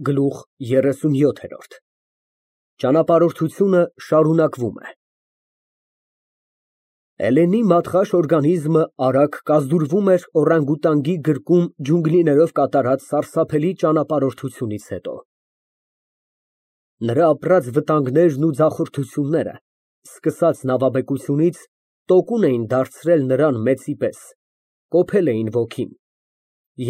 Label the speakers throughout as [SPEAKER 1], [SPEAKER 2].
[SPEAKER 1] Գլուխ 37 Ճանապարհորդությունը շարունակվում է։ Էլենի մատղաշ օրգանիզմը արագ կազդուրվում էր օրանգուտանգի գրկում ջունգլիներով կատարած սարսափելի ճանապարհորդությունից հետո։ Նրա ապրած վտանգներն ու ձախորդությունները, սկսած նավաբեկությունից, տոկուն էին դարձրել նրան մեծի պես, կոփել էին ոգին,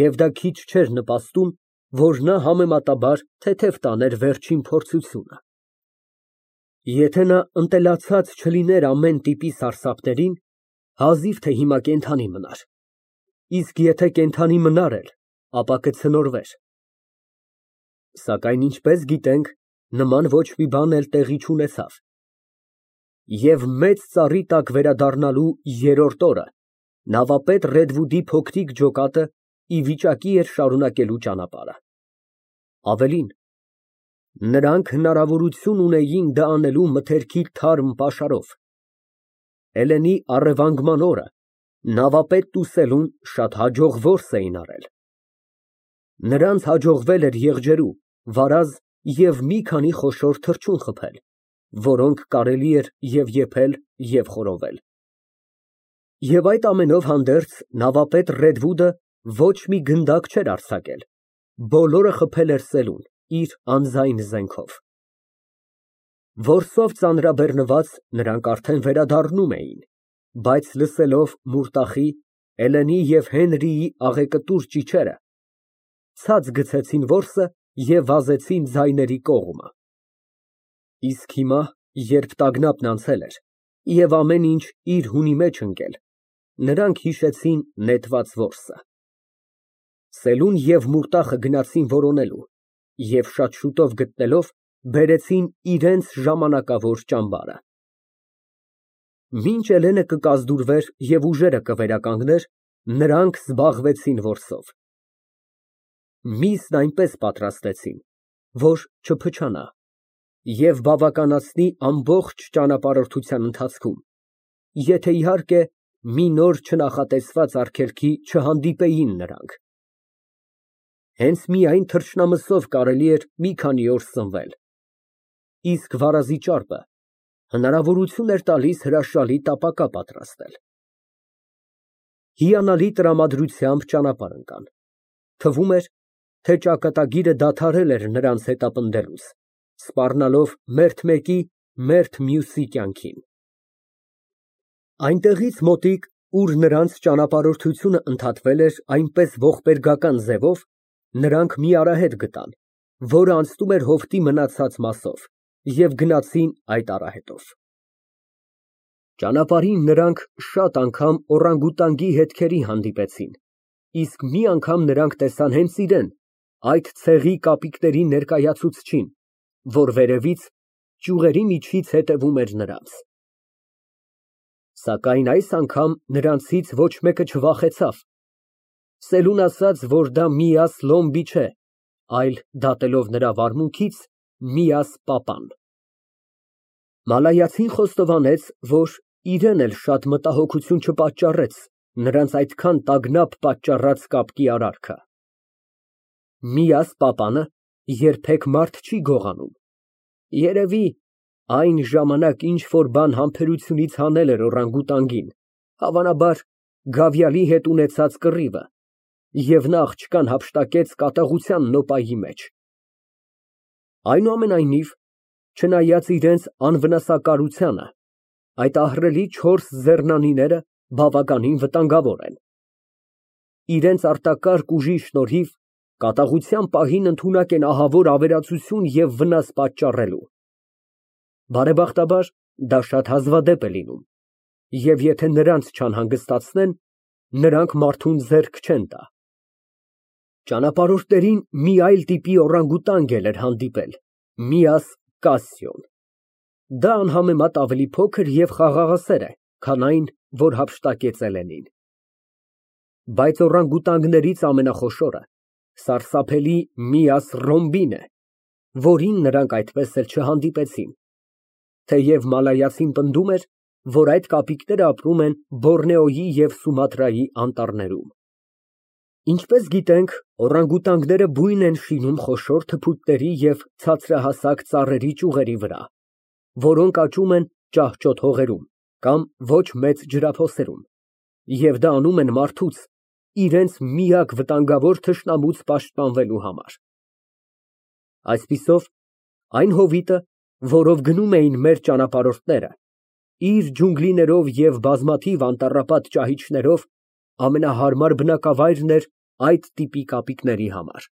[SPEAKER 1] և դա քիչ չէր նպաստում, որ նա համեմատաբար թեթև տաներ վերջին փորձությունը։ Եթե նա ընտելացած չլիներ ամեն տիպի սարսափներին, հազիվ թե հիմա կենդանի մնար, իսկ եթե կենդանի մնար էլ, ապա կցնորվեր։ Սակայն ինչպես գիտենք, նման ոչ մի բան էլ տեղի չունեցավ։ Եվ մեծ ծառի տակ վերադառնալու երրորդ օրը նավապետ Ռեդվուդի փոքրիկ ջոկատը ի վիճակի էր շարունակելու ճանապարհը։ Ավելին, նրանք հնարավորություն ունեին դա անելու մթերքի թարմ պաշարով։ Էլենի առևանգման օրը նավապետն ու Սելուն շատ հաջող որս էին արել։ Նրանց հաջողվել էր եղջերու, վարազ և մի քանի խոշոր թռչուն խփել, որոնք կարելի էր և եփել, և խորովել։ Եվ այդ ամենով հանդերձ նավապետ Ռեդվուդը ոչ մի գնդակ չէր արձակել, բոլորը խփել էր Սելուն իր անձայն զենքով։ Որսով ծանրաբեռնված, նրանք արդեն վերադառնում էին, բայց լսելով Մուրտախի, Էլենի և Հենրիի աղեկտուր ճիչերը, ցած գցեցին որսը և վազեցին ձայների կողմը։ Իսկ հիմա, երբ տագնապն անցել էր և ամեն ինչ իր հունի մեջ ընկել, նրանք հիշեցին նետված որսը։ Սելուն և Մուրտախը գնացին որոնելու և շատ շուտով գտնելով, բերեցին իրենց ժամանակավոր ճամբարը։ Մինչ Էլենը կկազդուրվեր և ուժերը կվերականգներ, նրանք զբաղվեցին որսով։ Միսն այնպես պատրաստեցին, որ չփչանա և բավականացնի ամբողջ ճանապարհորդության ընթացքում, եթե, իհարկե, մի նոր չնախատեսված արգելքի չհանդիպեին նրանք։ Հենց միայն թռչնամսով կարելի էր մի քանի օր սնվել, իսկ վարազի ճարպը հնարավորություն էր տալիս հրաշալի տապակա պատրաստել։ Հիանալի տրամադրությամբ ճանապարհ ընկան։ Թվում էր, թե ճակատագիրը դադարել էր նրանց հետապնդելուց, սպառնալով մերթ մեկի, մերթ մյուսի կյանքին։ Այնտեղից մոտիկ, ուր նրանց ճանապարհորդությունը ընդհատվել էր այնպես ողբերգական ձևով, նրանք մի արահետ գտան, որը անցնում էր հովտի մնացած մասով, և գնացին այդ արահետով։ Ճանապարհին նրանք շատ անգամ օրանգուտանգի հետքերի հանդիպեցին, իսկ մի անգամ նրանք տեսան հենց իրեն, այդ ցեղի կապիկների ներկայացուցչին, որ վերևից, ճյուղերի միջից հետևում էր նրանց։ Սակայն այս անգամ նրանցից ոչ մեկը չվախեցավ։ Սելուն ասաց, որ դա Միաս Լոմբի չէ, այլ, դատելով նրա վարմունքից, Միաս պապան։ Մալայացին խոստովանեց, որ իրեն էլ շատ մտահոգություն չպատճառեց նրանց այդքան տագնապ պատճառած կապկի արարքը։ Միաս պապանը երբեք մարդ չի գողանում։ Երևի, այն ժամանակ ինչ֊որ բան համբերությունից հանել էր օրանգուտանգին, հավանաբար, գավիալի հետ ունեցած կռիվը, և նա աղջկան հափշտակեց կատաղության նոպայի մեջ։ Այնուամենայնիվ, չնայած իրենց անվնասակարությանը, այդ ահռելի չորս ձեռնանիները բավականին վտանգավոր են։ Իրենց արտակարգ ուժի շնորհիվ կատաղության պահին ընդունակ են ահավոր ավերածություն և վնաս պատճառելու։ Բարեբախտաբար, դա շատ հազվադեպ է լինում, և եթե նրանց չանհանգստացնեն, նրանք մարդուն ձեռք չեն տա։ Ճանապարհորդներին մի այլ տիպի օրանգուտանգ էլ էր հանդիպել, Միաս Կասիոն։ Դա անհամեմատ ավելի փոքր և խաղաղասեր է, քան այն, որ հափշտակեց Էլենին։ Բայց օրանգուտանգներից ամենախոշորը սարսափելի Միաս Ռոմբին է, որին նրանք այդպես էլ չհանդիպեցին, թեև մալայացին պնդում էր, որ այդ կապիկները ապրում են Բորնեոյի և Սումատրայի անտառներում։ Ինչպես գիտենք, օրանգուտանգները բույն են շինում խոշոր թփուտների և ցածրահասակ ծառերի ճյուղերի վրա, որոնք աճում են ճահճոտ հողերում կամ ոչ մեծ ջրափոսերում, և դա անում են մարդուց իրենց միակ վտանգավոր թշնամուց պաշտպանվելու համար։ Այսպիսով, այն հովիտը, որով գնում էին մեր ճանապարհորդները, իր ջունգլիներով և բազմաթիվ անտառապատ ճահիճներով ամենահարմար բնակավայրն էր այդ տիպի կապիկների համար։